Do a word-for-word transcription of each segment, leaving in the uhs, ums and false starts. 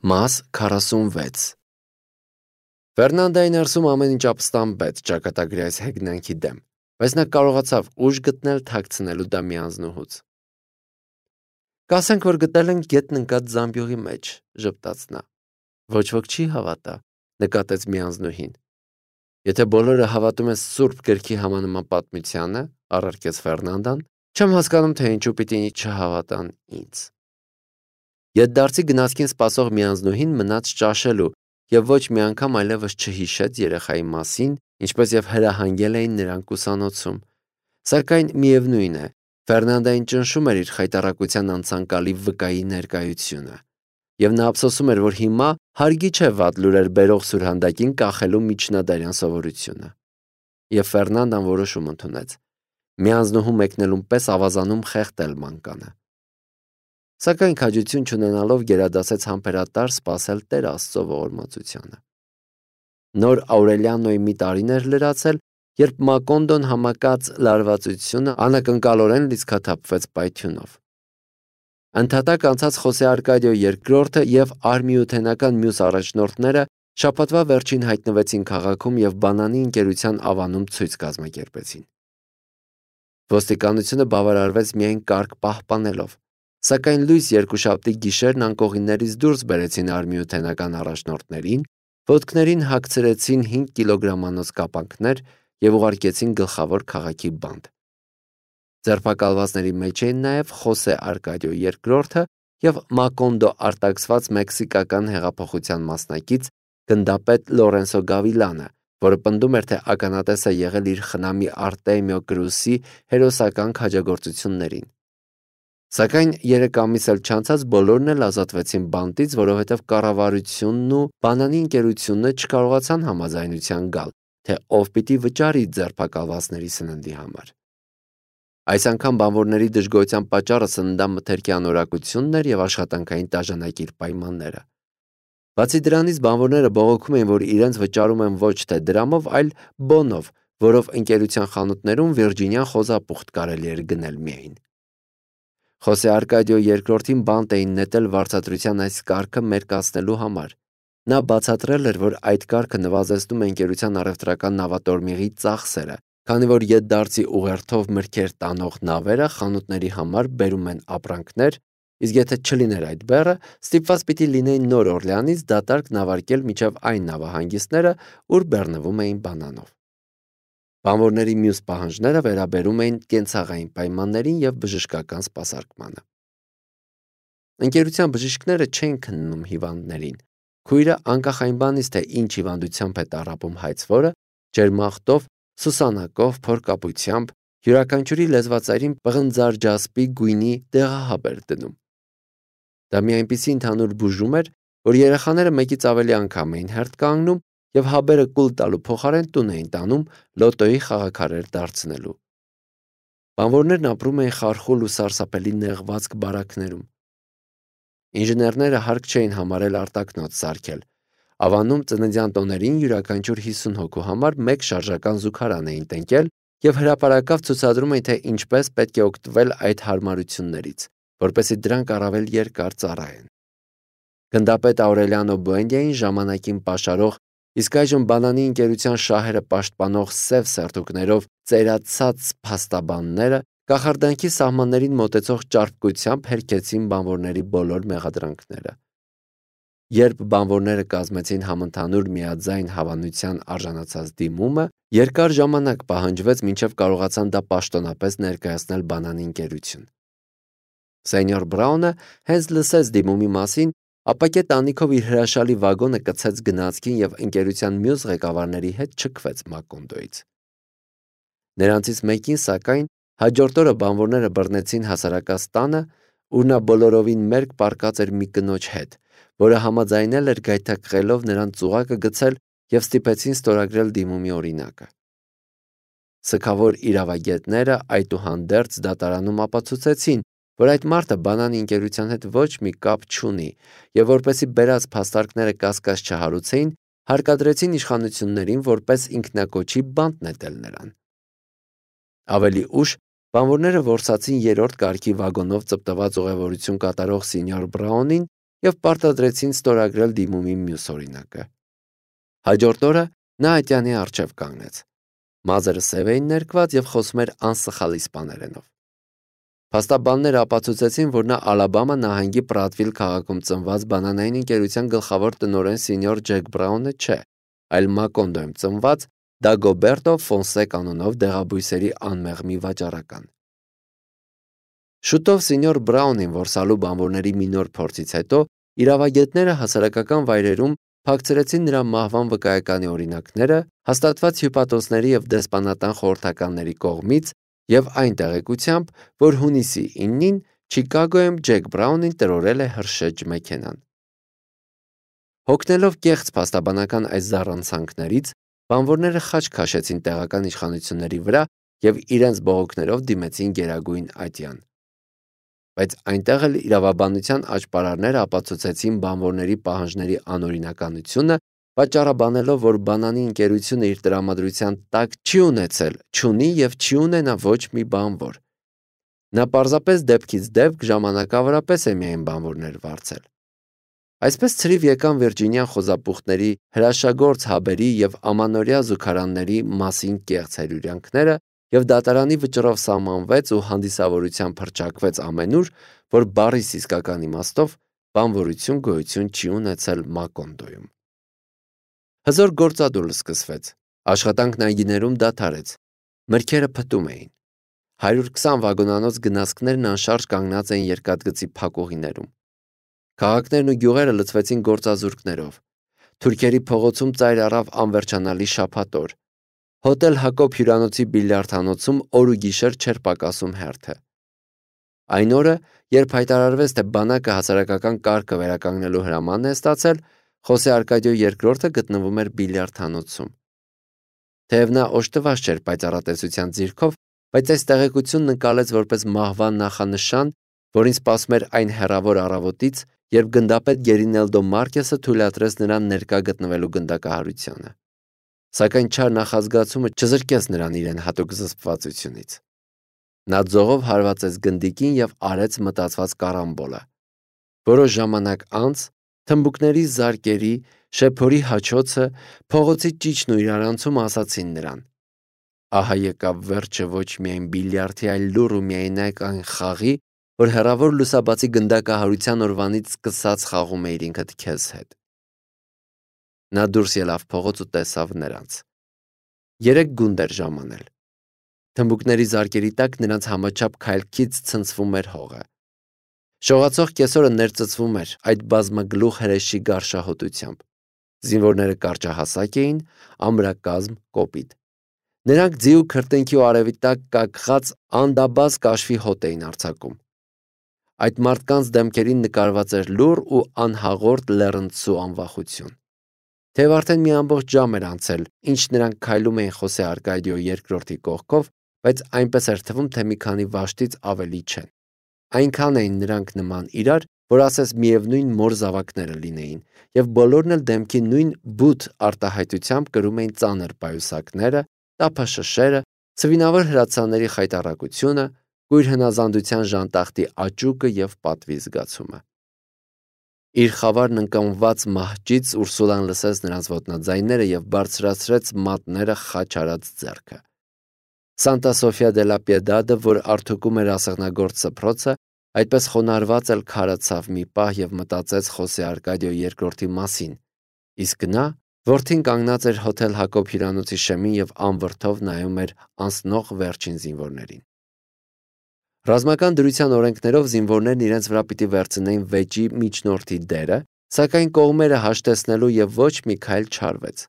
Մաս քառասունվեց Ֆերնանդայի ներսում ամեն ինչ ապստամբեց ճակատագրի այս հեգնանքի դեմ, բայց նա կարողացավ ուժ գտնել թաքցնելու դա միանձնուհուց։ Կասենք, որ գտել ենք գետն ընկած զամբյուղի մեջ, ժպտաց նա։ Ոչ ոք չի հավատա, նկատեց միանձնուհին։ Եթե բոլորը հավատում են Սուրբ գրքի համանման պատմությանը, առարկեց Ֆերնանդան, չեմ հասկանում, թե ինչու պիտի չհավատան ինձ։ Ետդարձի գնացքին սպասող միանձնուհին մնաց ճաշելու և ոչ մի անգամ այլևս չհիշեց երեխայի մասին, ինչպես և հրահանգել էին նրան ուսանոցում, սակայն միևնույն է, Ֆերնանդային ճնշում էր իր խայտառակության անցանկալի վկայի ներկայությունը, և նա ափսոսում էր, որ հիմա հարգի չէ վատ լուրեր բերող սուրհանդակին կախելու միջնադարյան սովորությունը։ Եվ Ֆերնանդան որոշում ընդունեց. միանձնուհու մեկնելուն պես ավազանում խեղդել մանկանը։ Սակայն քաջություն չունենալով գերադասեց համբերատար սպասել Տեր Աստծո ողորմածությանը։ Նոր Աուրելիանոյի մի տարին էր լրացել, երբ Մակոնդոն համակած լարվածությունը անակնկալորեն լիցքաթափվեց պայթյունով։ Ընդհատակ անցած Խոսե Արկադիո երկրորդը և արմիութենական մյուս առաջնորդները շաբաթվա վերջին հայտնվեցին քաղաքում և բանանի ընկերության ավանում ցույց կազմակերպեցին։ Ոստիկանությունը բավարարվեց միայն կարգ պահպանելով, սակայն լույս երկուշաբթի գիշերն անկողիններից դուրս բերեցին արմիութենական առաջնորդներին, ոտքներին հագցրեցին հինգ կիլոգրամանոց կապանքներ և ուղարկեցին գլխավոր քաղաքի բանտ։ Ձերբակալվածների մեջ էին նաև Խոսե Արկադիո երկրորդը և Մակոնդո արտաքսված մեքսիկական հեղափոխության մասնակից գնդապետ Լորենսո Գավիլանը, որը պնդում էր, թե ականատես է եղել իր խնամի Արտեմիո Կրուսի հերոսական քաջագործություններին։ Սակայն երեք ամիս էլ չանցած բոլորն էլ ազատվեցին բանտից, որովհետև կառավարությունն ու բանանի ընկերությունը չկարողացան համաձայնության գալ, թե ով պիտի վճարի ձերբակալվածների սննդի համար։ Այս անգամ բանվորների դժգոհության պատճառը սննդամթերքի անորակությունն էր և աշխատանքային տաժանակիր պայմանները։ Բացի դրանից բանվորները բողոքում էին, որ իրենց վճարում են ոչ թե դրամով, այլ բոնով, որով ընկերության խանութներում Վիրջինիան խոզապուխտ կարելի էր գնել միայն։ Խոսե Արկադիո երկրորդին բանտ էին նետել վարձատրության այս կարգը մերկացնելու համար։ Նա բացատրել էր, որ այդ կարգը նվազեցնում է ընկերության առևտրական նավատորմիղի ծախսերը, քանի որ ետդարձի ուղերձով մրգեր տանող նավերը խանութների համար բերում են ապրանքներ, իսկ եթե չլիներ այդ բեռը, ստիպված պիտի լինեին Նոր Օրլեանից դատարկ նավարկել մինչև այն նավահանգիստները, ուր բեռնվում էին բանանով։ Բանվորների մյուս պահանջները վերաբերում էին կենցաղային պայմաններին և բժշկական սպասարկմանը։ Ընկերության բժիշկները չէին քննում հիվանդներին։ Քույրը անկախ այն բանից, թե ինչ հիվանդությամբ է տառապում հայցվորը, ջերմախտով, սուսանակով, փորկապությամբ, յուրաքանչյուրի լեզվածայրին պղնձարջասպի գույնի դեղահաբ էր դնում։ Դա մի այնպիսի ընդհանուր բուժում էր, որ երեխաները մեկից ավելի անգամ էին հերթ կանգնում և հաբերը կուլ տալու փոխարեն տուն էին տանում լոտոյի խաղաքարեր դարձնելու։ Բանվորներն ապրում էին խարխուլ ու սարսափելի նեղվածք բարակներում։ Ինժեներները հարկ չէին համարել արտակնոց սարքել։ Ավանում ծննդյան տոներին յուրաքանչյուր հիսուն հոգու համար մեկ շարժական զուգարան էին տնկել և հրապարակավ ցուցադրում էին, թե ինչպես պետք է օգտվել այդ հարմարություններից, որպեսզի դրանք առավել երկար ծառայեն։ Գնդապետ Աուրելիանո Բուենդիային ժամանակին պաշարող, իսկ այժմ բանանի ընկերության շահերը պաշտպանող սև սերտուկներով ծերացած փաստաբանները կախարդանքի սահմաններին մոտեցող ճարպկությամբ հերքեցին բանվորների բոլոր մեղադրանքները։ Երբ բանվորները կազմեցին համընդհանուր միաձայն հավանության արժանացած դիմումը, երկար ժամանակ պահանջվեց, մինչև կարողացան դա պաշտոնապես ներկայացնել բանանի ընկերություն։ Սենյոր Բրաունը հենց լսեց դիմումի մասին, ապակե տանիքով իր հրաշալի վագոնը կցեց գնացքին և ընկերության մյուս ղեկավարների հետ չքվեց Մակոնդոյից։ Նրանցից մեկին, սակայն, հաջորդ օրը բանվորները բռնեցին հասարակած տանը, ուր նա բոլորովին մերկ պառկած էր մի կնոջ հետ, որը համաձայնել էր գայթակղելով նրան ծուղակը գցել և ստիպեցին ստորագրել դիմումի օրինակը։ Սգավոր իրավագետները այդուհանդերձ դատարանում ապացուցեցին, որ այդ մարդը բանանի ընկերության հետ ոչ մի կապ չունի և որպեսզի բերած փաստարկները կասկած չհարուցեին, հարկադրեցին իշխանություններին որպես ինքնակոչի բանտ նետել նրան։ Ավելի ուշ բանվորները որսացին երրորդ կարգի վագոնով ծպտված ուղևորություն կատարող Սենյոր Բրաունին և պարտադրեցին ստորագրել դիմումի մյուս օրինակը։ Հաջորդ օրը նա ատյանի առջև կանգնեց։ Մազերը սև էին ներկված և խոսում էր անսխալ իսպաներենով։ Փաստաբանները ապացուցեցին, որ նա Ալաբամա նահանգի Պրատվիլ քաղաքում ծնված բանանային ընկերության գլխավոր տնօրեն սենյոր Ջեք Բրաունը չէ, այլ Մակոնդոյում ծնված Դագոբերտո Ֆոնսեք անունով դեղաբույսերի անմեղ մի վաճառական։ Շուտով սենյոր Բրաունին որսալու բանվորների մի նոր փորձից հետո իրավագետները հասարակական վայրերում փակցրեցին նրա մահվան վկայականի օրինակները հաստատված հյուպատոսների և դեսպանատան խորհրդականների կողմից և այն տեղեկությամբ, որ հունիսի իննին Չիկագոյում Ջեք Բրաունին տրորել է հրշեջ մեքենան։ Հոգնելով կեղծ փաստաբանական այս զառանցանքներից, բանվորները խաչ քաշեցին տեղական իշխանությունների վրա և իրենց բողոքներով դիմեցին Գերագույն ատյան։ Բայց այնտեղ էլ իրավաբանության աճպարարները ապացուցեցին բանվորների պահանջների անօրինականությունը, պատճառաբանելով, որ բանանի ընկերությունը իր տրամադրության տակ չի ունեցել, չունի և չի ունենա ոչ մի բանվոր։ Նա պարզապես դեպքից դեպք ժամանակավորապես է միայն բանվորներ վարձել։ Այսպես ցրիվ եկան Վիրջինիան խոզապուխտների, հրաշագործ հաբերի և ամանորյա զուգարանների մասին կեղծ հրյուրյանքները, և դատարանի վճռով սահմանվեց ու հանդիսավորությամբ հռչակվեց ամենուր, որ բառիս իսկական իմաստով բանվորություն գոյություն չի ունեցել Մակոնդոյում։ Հզոր գործադուլ սկսվեց, աշխատանքն այգիներում դադարեց, մրգերը փտում էին։ Հարյուր քսան վագոնանոց գնացքներն անշարժ կանգնած էին երկաթգծի փակուղիներում։ Քաղաքներն ու գյուղերը լցվեցին գործազուրկներով։ Թուրքերի փողոցում ծայր առավ անվերջանալի շաբաթօր։ Հոթել Հակոբ հյուրանոցի բիլիարդանոցում օր ու գիշեր չէր պակասում հերթը։ Այն օրը, երբ հայտարարվեց, թե բանակը հասարակական կարգը վերականգնելու հրամանն է ստացել, Խոսե Արկադիո երկրորդը գտնվում էր բիլիարդանոցում։ Թեև նա օժտված չէր պայծառատեսության ձիրքով, բայց այս տեղեկությունն ընկալեց որպես մահվան նախանշան, որին սպասում էր այն հեռավոր առավոտից, երբ գնդապետ Գերինելդո Մարկեսը թույլատրեց նրան ներկա գտնվելու գնդակահարությանը։ Սակայն չար նախազգացումը չզրկեց նրան իրեն հատուկ զսպվածությունից։ Նա ձողով հարվածեց գնդիկին և արեց մտածված կարամբոլը։ Որոշ ժամանակ անց թմբուկների զարկերի, շեփորի հաչոցը, փողոցի ճիչն ու իրարանցումը ասացին նրան. ահա եկավ վերջը ոչ միայն բիլիարդի, այլ լուռ ու միայնակ այն խաղի, որ հեռավոր լուսաբացի գնդակահարության օրվանից սկսած խաղում էիր ինքդ քեզ հետ։ Նա դուրս ելավ փողոց ու տեսավ նրանց։ Երեք գունդ էր ժամանել։ Թմբուկների զարկերի տակ նրանց համաչափ քայլքից ցնցվում էր հողը։ Շողացող կեսօրը ներծծվում էր այդ բազմագլուխ հրեշի գարշահոտությամբ։ Զինվորները կարճահասակ էին, ամրակազմ, կոպիտ։ Նրանք ձի ու քրտինքի ու արևի տակ կակղած անդաբազ կաշվի հոտ էին արձակում։ Այդ մարդկանց դեմքերին նկարված էր լուռ ու անհաղորդ լեռնցու անվախություն։ Թեև արդեն մի ամբողջ ժամ էր անցել, ինչ նրանք քայլում էին Խոսե Արկադիո երկրորդի կողքով, բայց այնպես էր թվում, թե մի քանի վաշտից ավելի չեն։ Այնքան էին նրանք նման իրար, որ ասես միևնույն մոր զավակները լինեին, և բոլորն էլ դեմքի նույն բութ արտահայտությամբ կրում էին ծանր պայուսակները, տափաշշերը, ցվինավոր հրացանների խայտառակությունը, կույր հնազանդության ժանտախտի աճուկը և պատվի զգացումը։ Իր խավարն ընկամված մահճից Ուրսուլան լսեց նրանց ոտնաձայները և բարձրացրեց մատները խաչ արած ձեռքը։ Սանտա Սոֆիա դե լա Պիեդադը, որ արդուկում էր ասեղնագործ սփռոցը, այդպես խոնարհված էլ քարացավ մի պահ և մտածեց Խոսե Արկադիո երկրորդի մասին, իսկ նա որդին կանգնած էր հոթել Հակոբ հյուրանոցի շեմին և անվրդով նայում էր անցնող վերջին զինվորներին։ Ռազմական դրության օրենքներով զինվորներն իրենց վրա պիտի վերցնեին վեճի միջնորդի դերը, սակայն կողմերը հաշտեցնելու և ոչ մի քայլ չարվեց։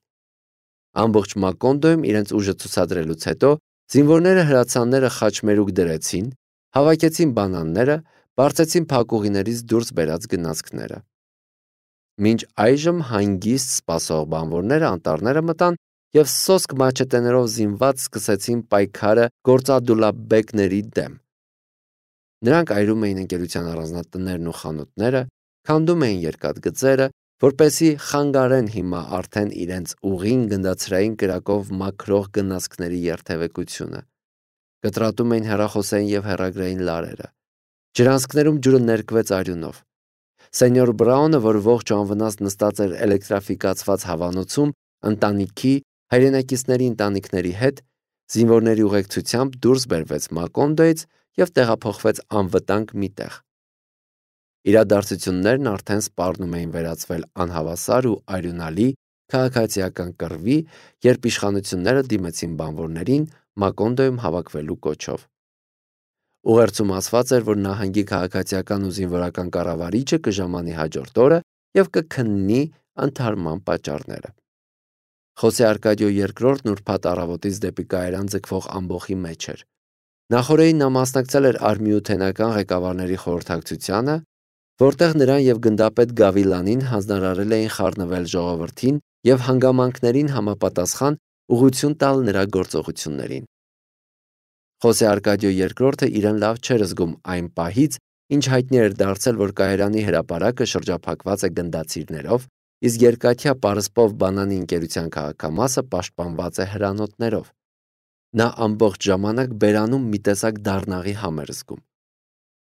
Ամբողջ Մակոնդոյում իրենց ուժը ցուցադրելուց հետո զինվորները հրացանները խաչմերուկ դրեցին, հավաքեցին բանանները, բարձեցին փակուղիներից դուրս բերած գնացքները։ Մինչ այժմ հանգիստ սպասող բանվորները անտառները մտան և սոսկ մաչետեներով զինված սկսեցին պայքարը գործադուլաբեկների դեմ։ Նրանք այրում էին ընկերության առանձնատներն ու խանութները, քանդում էին երկաթգծերը, որպեսզի խանգարեն հիմա արդեն իրենց ուղին գնդացրային կրակով մաքրող գնացքների երթևեկությունը։ Կտրատում էին հեռախոսային և հեռագրային լարերը։ Ջրանցքներում ջուրը ներկվեց արյունով։ Սենյոր Բրաունը, որ ողջ ու անվնաս նստած էր էլեկտրաֆիկացված հավանոցում, ընտանիքի, հայրենակիցների ընտանիքների հետ, զինվորների ուղեկցությամբ դուրս բերվեց Մակոնդոյից և տեղափոխվեց անվտանգ մի տեղ։ Իրադարձություններն արդեն սպառնում էին վերածվել անհավասար ու արյունալի քաղաքացիական կռվի, երբ իշխանությունները դիմեցին բանվորներին Մակոնդոյում հավաքվելու կոչով։ Ուղերձում ասված էր, որ նահանգի քաղաքացիական ու զինվորական կառավարիչը կժամանի հաջորդ օրը և կքննի ընդհարման պատճառները։ Խոսե Արկադիո երկրորդն ուրբաթ առավոտից դեպի Կայարան ձգվող ամբոխի մեջ էր։ Նախօրեին նա մասնակցել էր արմիութենական ղեկավարների խորհրդակցությանը, որտեղ նրան և գնդապետ Գավիլանին հանձնարարել էին խառնվել ժողովրդին և հանգամանքներին համապատասխան ուղղություն տալ նրա գործողություններին։ Խոսե Արկադիո երկրորդը իրեն լավ չէր զգում այն պահից, ինչ հայտնի էր դարձել, որ Կայարանի հրապարակը շրջափակված է գնդացիրներով, իսկ երկաթյա պարսպով բանանի ընկերության քաղաքամասը պաշտպանված է հրանոթներով։ Նա ամբողջ ժամանակ բերանում մի տեսակ դառնաղի համ էր զգում։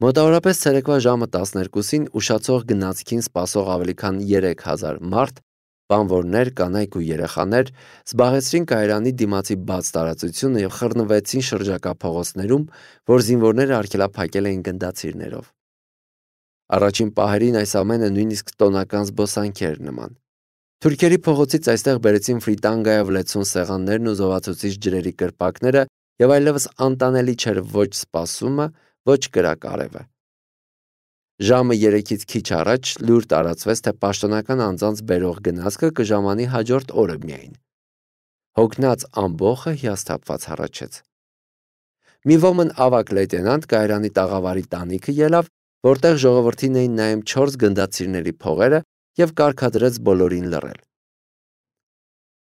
Մոտավորապես ցերեկվա ժամը տասներկուսին ուշացող գնացքին սպասող ավելի քան երեք հազար մարդ, բանվորներ, կանայք ու երեխաներ զբաղեցրին Կայարանի դիմացի բաց տարածությունը և խռնվեցին շրջակա փողոցներում, որ զինվորները արգելափակել էին գնդացիրներով։ Առաջին պահերին այս ամենը նույնիսկ տոնական զբոսանքի էր նման։ Թուրքերի փողոցից այստեղ բերեցին ֆրիտանգայով լեցուն սեղաններն ու զովացուցիչ ջրերի կրպակները և այլևս անտանելի չէր ոչ սպասումը, ոչ կրակարևը։ Ժամը երեքից քիչ առաջ լուր տարածվեց, թե պաշտոնական անձանց բերող գնացքը կժամանի հաջորդ օրը միայն։ Հոգնած ամբոխը հիասթափված հառաչեց։ Մի ոմն ավագ լեյտենանտ Կայարանի տաղավարի տանիքը ելավ, որտեղ ժողովրդին էին նայում չորս գնդացիրների փողերը և կարգադրեց բոլորին լռել։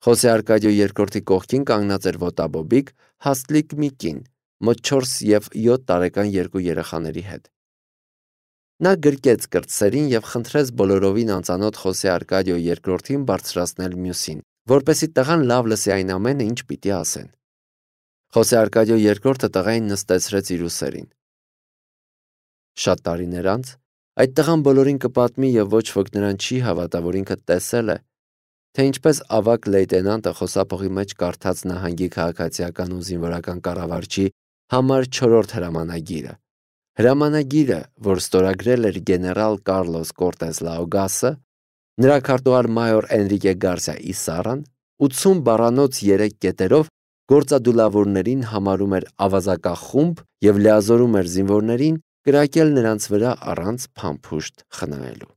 Խոսե Արկադիո երկրորդի կողքին կանգնած էր ոտաբոբիկ, հաստլիկ մի կին, մոտ չորս և յոթ տարեկան երկու երեխաների հետ։ Նա գրկեց կրտսերին և խնդրեց բոլորովին անծանոթ Խոսե Արկադիո երկրորդին բարձրացնել մյուսին, որպեսզի տղան լավ լսի այն ամենը, ինչ պիտի ասեն։ Խոսե Արկադիո երկրորդը տղային նստեցրեց իր ուսերին։ Շատ տարիներ անց այդ տղան բոլորին կպատմի և ոչ ոք նրան չի հավատա, որ ինքը տեսել է, թե ինչպես ավագ լեյտենանտը խոսափողի մեջ կարդաց նահանգի քաղաքացիական ու զինվորական կառավարչի համար չորրորդ հրամանագիրը։ Հրամանագիրը, որ ստորագրել էր գեներալ Կառլոս Կորտես Լաուգասը, նրա քարտուղար մայոր Էնրիկե Գարսիա Իսարան ութսուն բառանոց երեք կետերով գործադուլավորներին համարում էր ավազակախումբ և լիազորում էր զինվորներին կրակել նրանց վրա առանց փամփուշտ խնայելու։